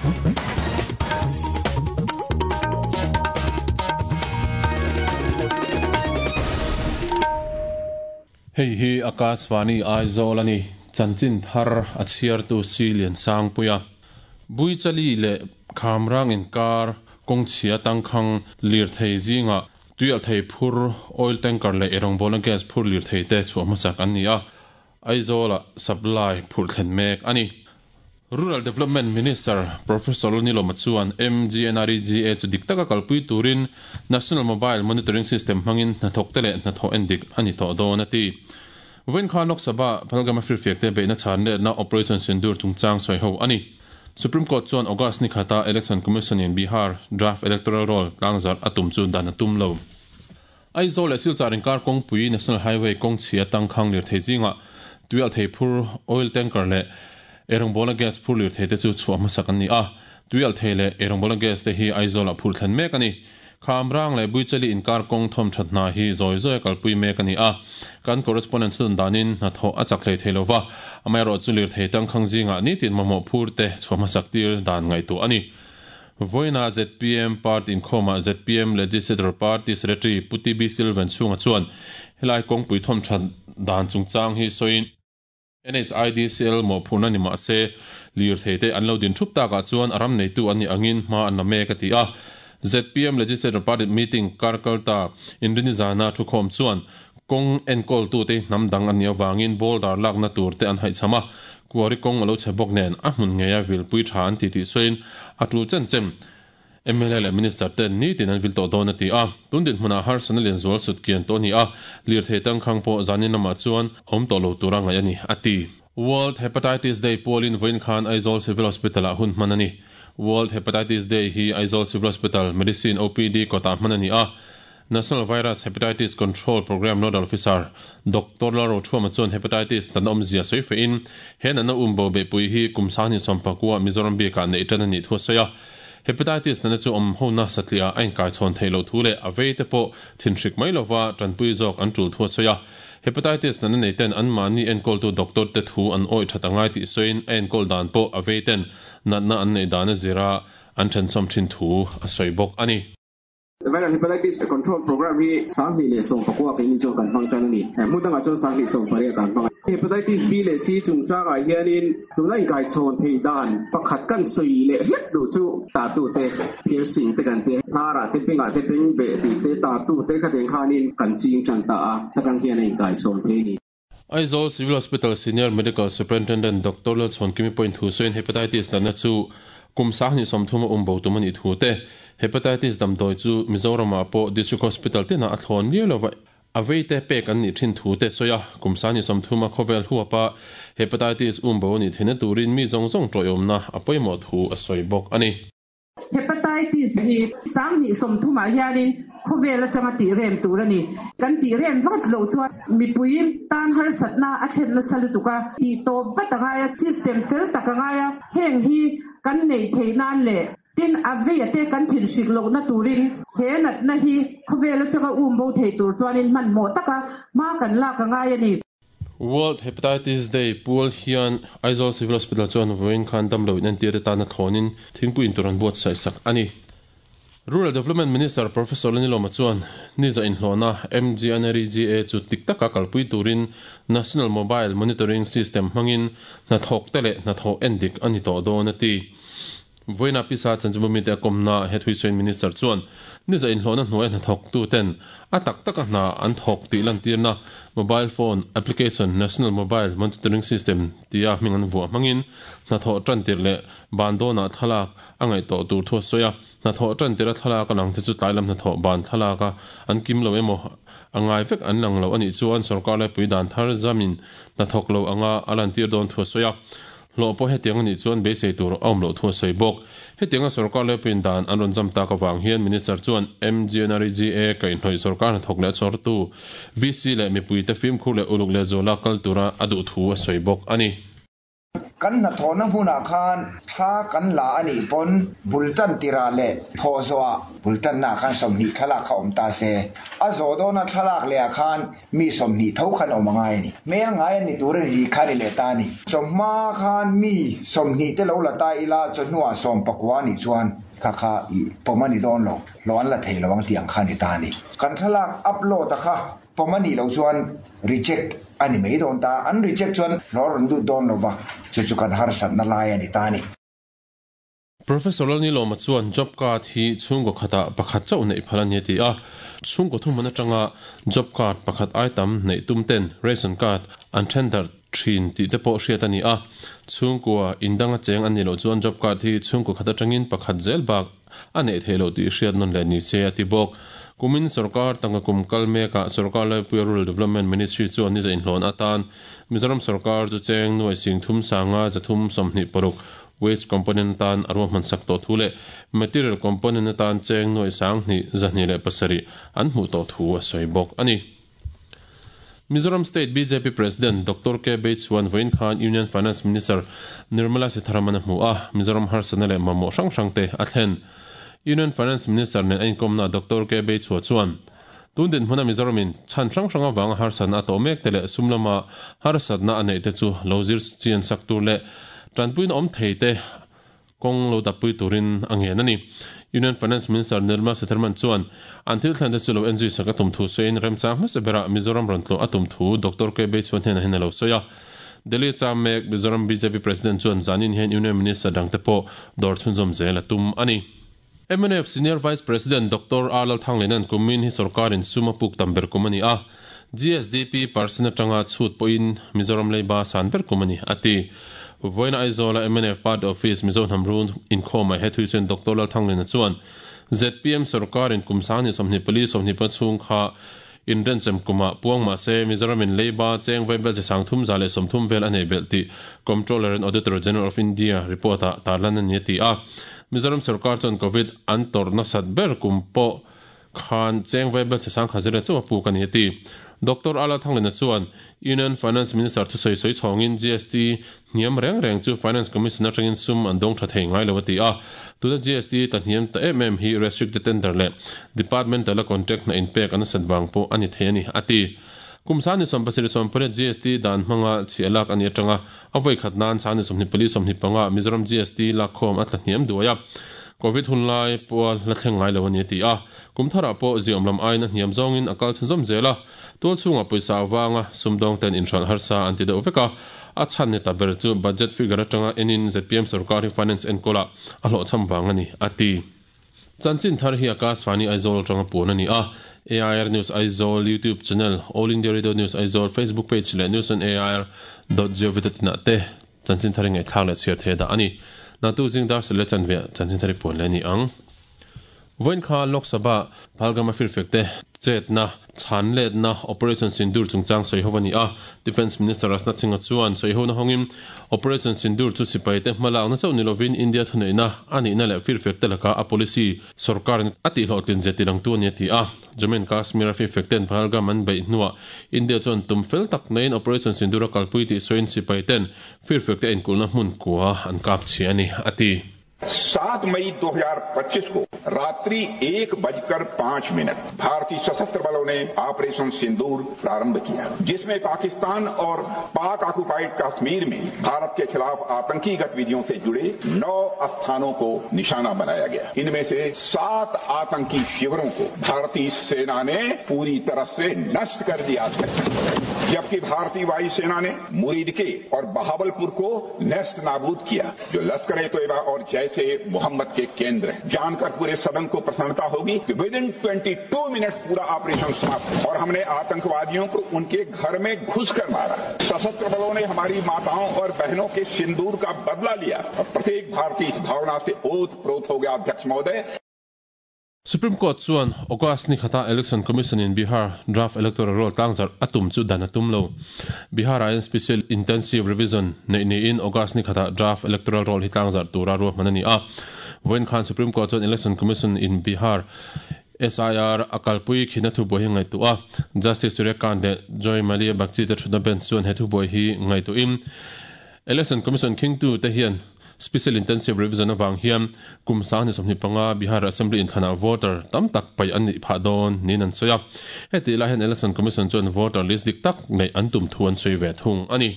Hei hi Akashvani Aizawl a ni. Chanchin thar a chhiartu Si Liansangpuia. Buichali leh Khamrang inkar kawngchhia tangkhang lirthei zingah tuialhthei phur, oil tanker leh eirawngbawlna gas phur lirthei te chhuah hmasak an ni a. Aizawla supply phurh thlen mek a ni. Rural Development Minister Professor Lalnilawma chuan MGNREGA chu dik taka kalpui turin National Mobile Monitoring System hmangin hnathawkte leh hnathawh endik a ni tawh dawn a ti. Vawiin khan Lok Sabha Phalgama firfiakte beihna chhan letna Operation Sindoor chungchang sawi ho a ni. Supreme Court chuan August ni khata Election Commission in Bihar Draft Electoral Roll tlangzarh a tum chu dan a tum lo. Aizawl leh Silchar inkar kawngpui National Highway kawng chhia tangkhang lirthei zingah tuialhthei phur, oil tanker leh eirawngbawlna gas phur lirthei te chu chhuah hmasak an ni a. Tuialhthei leh eirawngbawlna gas te hi Aizawlah phurh thlen mek a ni. Khamrang leh Buichali inkar kawng thawm that hna hi zawi zawi a kalpui mek a ni a. Kan correspondent thutun danin hnathawh a chak hlei thei lova, amaherawhchu lirthei tangkhang zingah nitin mamawh phur te chhuah hmasak tir dan ngaihtuah a ni. Vawiina zpm Party inkhawmah zpm Legislature Party Secretary Pu TB Silvan Chhunga chuan helai kawngpui thawmthat dan chungchang hi sawiin, NHIDCL mawhphurhna ni mah se, lirthei te an lo din thup takah chuan a ram neitu an nih angin hma an la mek a ti a. Zpm Legislature Party meeting kar kalta Inrini zana thukhawm chuan kawng enkawltute hnam dang an nih avangin boulder lakna tur te an haihchham a, Kuari kawng a lo chhe bawk nen a hmun ngeia vilpui tha an ti tih sawiin a tul chen chen mla leh Minister ten nitin an vil tawh dawn a ti a. Tun dinhmunah harsatna lian zual sut kian tawh a ni a, lirthei tangkhang pawh zanin lamah chuan awm tawh lo tura ngaih a ni, a ti. World Hepatitis Day pualin vawiin khan Aizawl Civil Hospital-ah hun hman a ni. World Hepatitis Day hi Aizawl Civil Hospital Medicine OPD kawtah hman a ni a. National Virus Hepatitis Control Programme Nodal Officer Doctor Lalrothuama chuan Hepatitis natna awmzia sawi fehin he natna umbo beihpui hi kum sanghnih sawmpakua Mizoram bikah neih tan a nih thu a sawi a. Hepatitis natna chu awm hona satliah a inkaichhawn theih loh thu leh a vei te pawh thinhrik mai lova tanpui zawk an tul thu a sawi a. Hepatitis natna nei ten anmahni enkawltu doctor te thu an awih that a ngai tih sawiin a enkawl dan pawh a vei ten natna an neih dan a zira an thensawm thin thu a sawi bawk a ni. Viral Hepatitis Control Programme hi 2019 keini chuan kan hmang tan a ni. Hmun dangah chuan 2018 kan hmang a. Hepatitis B leh C chungchangah hianin tuna inkaichhawn theih dan pakhat kan sawi leh hlek duh chu tatute piercing te kan ti a, hnarah te bengah te bengbeh tih te tatute khatiang khanin kan ching tan ta a, heta hian a inkaichhawn thei a ni. Aizawl Civil Hospital Senior Medical Superintendent Doctor Lalchhuankimi pawhin thu sawiin Hepatitis natna chu kum 30 a um bo tum a nih thu te, Hepatitis damdawi chu Mizoramah pawh District Hospital tinah a thlawn liau lova a veite pek an nih thin thu te sawi a, kum 30 a khawvel huapa Hepatitis um bo a nih theihna turin mi zawng zawng tawiawmna a pawimawh thu a sawi bawk a ni. Hepatitis hi 2030 ah hianin khawvel atanga tih rem tur a ni. Kan tih rem vat loh chuan mipui tan harsatna a thlen nasa lutuk a, tih tawp vat a ngai a, system fel tak a ngai a, heng hi kan neih theih nan leh tin a veia te kan thinhrik lohna turin he natna hi khawvel atanga um bo thei tur chuanin hmanhmawh taka hma kan lak a ngai a ni. World Hepatitis Day pual hian Aizawl Civil Hospital chuan vawiin khan damlo in entir atana thlawnin thingpui in tur an buatsaih sak a ni. Rural Development Minister Professor Lenilawma chuan niza inhlawhna MGNREGA chu tik taka kalpui turin National Mobile Monitoring System hmangin hnathawkte leh hnathawh endik a ni tawh dawn a ti. Vawiina pisa chanchinbu mite a kawmna he thuisawiin Minister chuan niza inhlawhna hnuaia hnathawktu ten a tak taka hna an thawk tih lantirna mobile phone application National Mobile Monitoring System tia hming an vuah hmangin hnathawh tantir leh ban dawnah thlalak a ngaih tawh tur thu a sawi a. Hnathawh tantira thlalak a lang te chu tlailam hnathawh ban thlalaka an kim lo emaw a ngai vek an lang lo a nih chuan sorkar laipui dan thar zamin hnathawk lo anga a lantir dawn thu a sawi a. Hlawh pawh hetiang a nih chuan beisei tur a awm loh thu a sawi bawk. Hetianga sorkar laipuiin dan an rawn zam tak avang hian Minister chuan MGNREGA kaihhnawih sorkar hnathawk leh a chhawrtu VC leh mipuite fimkhur leh uluk lehzuala kal tura a duh thu a sawi bawk a ni. Kan hnathawhna hmunah khan thla kan la a nih pawn bul tan tirah leh thawh zawhah bul tannaah khan 20 thlalak kha awm ta se, a zawh dawna thlalak lehah khan mi 20 tho khan awm a ngai a ni. Hmel ngai a ni tur a ni kha ni leh ta a ni. Chawhma khan mi 20 te lo la ta ila chawhnuah 19 a nih chuan kha kha i pawm a ni dawn lo, hlawh an la thei lo ang tih ang kha a ni ta a ni. Kan thlalak upload a kha pawm a nih loh chuan reject a ni mai dawn ta, an reject chuan hlawh a rawn lut dawn lo va, chu chu kan harsatna lai a ni ta a ni. Professor Lalnilawma chuan job card hi chhungkaw khatah pakhat chauh neih phal a ni a ti a, chhungkaw thuhmun atanga job card pakhat ai tam neih tum ten ration card an then darh thin tih te pawh hriat a ni a, chhungkua indanga cheng an nih loh chuan job card hi chhungkaw khat atangin pakhat zel bak a neih theih loh tih hriat nawn leh ni se a ti bawk. Kumin sorkar tangka kum kal mekah sorkar laipuia Rural Development Ministry chuan niza inhlawn atan Mizoram sorkar chu cheng nuai sing thum sanga 326 waste component atan a ruahman sak tawh thu leh material component atan cheng nuai 2207 an hmuh tawh thu a sawi bawk a ni. Mizoram State bjp President Doctor K Beichuan vawiin khan Union Finance Minister Nirmala Sitharaman a hmu a, Mizoram harsatna leh mamawh hrang hrang te a thlen. Union Finance Minister nen a inkawmna Doctor K Beichua chuan, Tun dinhmuna Mizoramin chhan hrang hrang avanga harsatna a tawh mek te leh sum lama harsatna a neih te chu lo zir chian sak tur leh tanpuina awm thei te Kawng lo dappui turin a ngen a ni. Union Finance Minister Nirmala Sitharaman chuan an thil thlen te chu lo enzui sak a tum thu sawiin remchang hmasa berah Mizoram rawn tlawh a tum thu Doctor K Beichuan hnenah hian a lo sawi a. Delhi cham mek Mizoram bjp President chuan zanin hian Union Minister dangte pawh dawr chhunzawm zel a tum a ni. Mnf Senior Vice President Doctor R Lalthanglena'n kumin hi sorkarin sum a puk tam ber kum a ni a, GSDP percent atanga chhut pawhin Mizoram leiba san ber kum a ni, a ti. Vawiina Aizawla mnf Party Office Mizo hnam run inkhawmah he thuisuin Doctor Lalthanglena chuan zpm sorkarin kum 2024 20 chhung kha inrenchem kumah puang mah se Mizoramin leiba cheng vaibel chi 330 vel a nei belh tih Comptroller and Auditor General of India report-ah tarlan a ni a ti a. Mizoram sorkar chuan Covid an tawrh nasat ber kum pawh khan cheng vaibel chi 10,000 chauh a puk a ni a ti. Doctor Ala Thanglena chuan Union Finance Minister thusawi sawi chhawngin GST Hniam reng reng chu Finance Commission atangin sum an dawng tha thei ngai lo a ti a. Tuna GST ta hniam ta em em hi restricted tender leh departmental a contract hna inpek a nasat vang pawh a ni thei a ni, a ti. Kum 2078 GST dan hmanga chhiah lak a nih atanga a vawi khat nan 2024 25 Mizoram GST lakkhawm a tla hniam duai a. Covid hun lai pawha la thleng ngai lo a ni a ti a. Kum tharah pawh ziaawm lam aiin a hniam zawngin a kal chhunzawm zel a. Tual chhungah pawisa avanga sumdawng ten inhralh harsa an ti deuh vek a, a chhan ni ta ber chu budget figure atanga enin zpm sorkar hi finance enkawlah a hlawhchham vang a ni, a ti. Chanchin thar hi Akashvani Aizawl atanga puan a ni a, AIR News Aizawl YouTube channel, All India Radio News Aizawl Facebook page leh news on air dot gov dot in ah te chanchin thar i ngaihthlak leh chhiar thei a dah a ni. Natu zing dar sel leh chanve ah chanchin thar i puan leh a ni ang. Vawiin kha Lok Sabha Phalgam a firfek te chetna, chhan letna, Operation Sindoor chungchang sawi ho a ni a. Defence Minister Rajnath Singh-a chuan sawi hona hawngin Operation Sindoor chu sipai te hmalakna chauh ni lovin India thuneihna a nihna leh firfek te laka a policy sorkarin a tihhlawhtlin zia tilangtu a ni a ti a. Jammu and Kashmir a firfek ten Pahalgam an beih hnuah India chuan tum fel tak neiin Operation Sindoor a kalpui tih sawiin sipai ten firfek te inkulhna hmun kua an kap chhia a ni a ti. 7 मई 2025 को रात्रि 1:05 भारतीय सशस्त्र बलों ने operation सिंदूर प्रारंभ किया, जिसमें पाकिस्तान और पाक ऑक्यूपाइड कश्मीर में भारत के खिलाफ आतंकी गतिविधियों से जुड़े 9 स्थानों को निशाना बनाया गया। इनमें से 7 आतंकी शिविरों को भारतीय सेना ने पूरी तरह से नष्ट कर दिया, जबकि भारतीय वायुसेना ने मुरीदके और बहावलपुर को नेस्त नाबूद किया, जो लश्कर ए तोयबा और जैश ए मोहम्मद के केंद्र हैं। जानकर पूरे सदन को प्रसन्नता होगी कि with in 22 minutes पूरा ऑपरेशन समाप्त और हमने आतंकवादियों को उनके घर में घुसकर मारा। सशस्त्र बलों ने हमारी माताओं और बहनों के सिंदूर का बदला लिया और प्रत्येक भारतीय इस भावना से ओत प्रोत हो गया। अध्यक्ष महोदय। Supreme Court chuan August ni khata Election Commission in Bihar draft electoral roll tlangzarh a tum chu dan a tum lo. Bihar ah hian Special Intensive Revision neih niin August ni khata draft electoral roll hi tlangzarh tura ruahman a ni a. Vawiin khan Supreme Court chuan Election Commission in Bihar SIR a kalpui khina thubuai hi ngaihtuah a. Justice Surya Kant leh Joy Malia Bagchi te thutna bench chuan he thubuai hi ngaihtuahin Election Commission khingtu te hian Special Intensive Revision avang hian kum 2025 Bihar Assembly inthlanah voter tam tak paih an nih phah dawn niin an sawi a. Hetih lai hian Election Commission chuan voter list dik tak neih an tum thu an sawi ve thung a ni.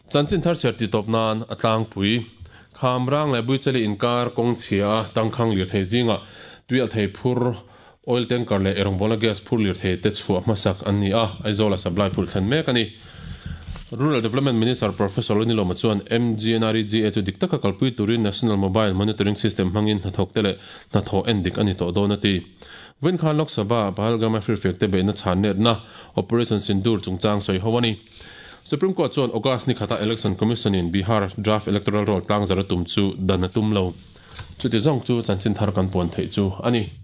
Chanchin thar chhiar tih tawp nan a tlangpui. Khamrang leh Buichali inkar kawng chhia a tangkhang lirthei zingah tuialhthei phur, oil tanker leh erawngbawl-a gas phur lirthei te chhuah hmasak an ni a, Aizawl-a supply phurh thlen mek a ni. Rural Development Minister Professor Lunilawma chuan MGNREGA chu dik taka kalpui turin National Mobile Monitoring System hmangin hnathawkte leh hnathawh en dik a ni tawh dawn a ti. Vawiin khan Lok Sabha-ah Pahalgam-a firfiakte beihna chhan letna Operation Sindoor chungchang sawi ho a ni. Supreme Court chuan August ni khata Election Commission-in Bihar Draft Electoral Roll tlangzar a tum chu dan a tum lo. Chuti zawng chu chanchin thar kan puan theih chu a ni.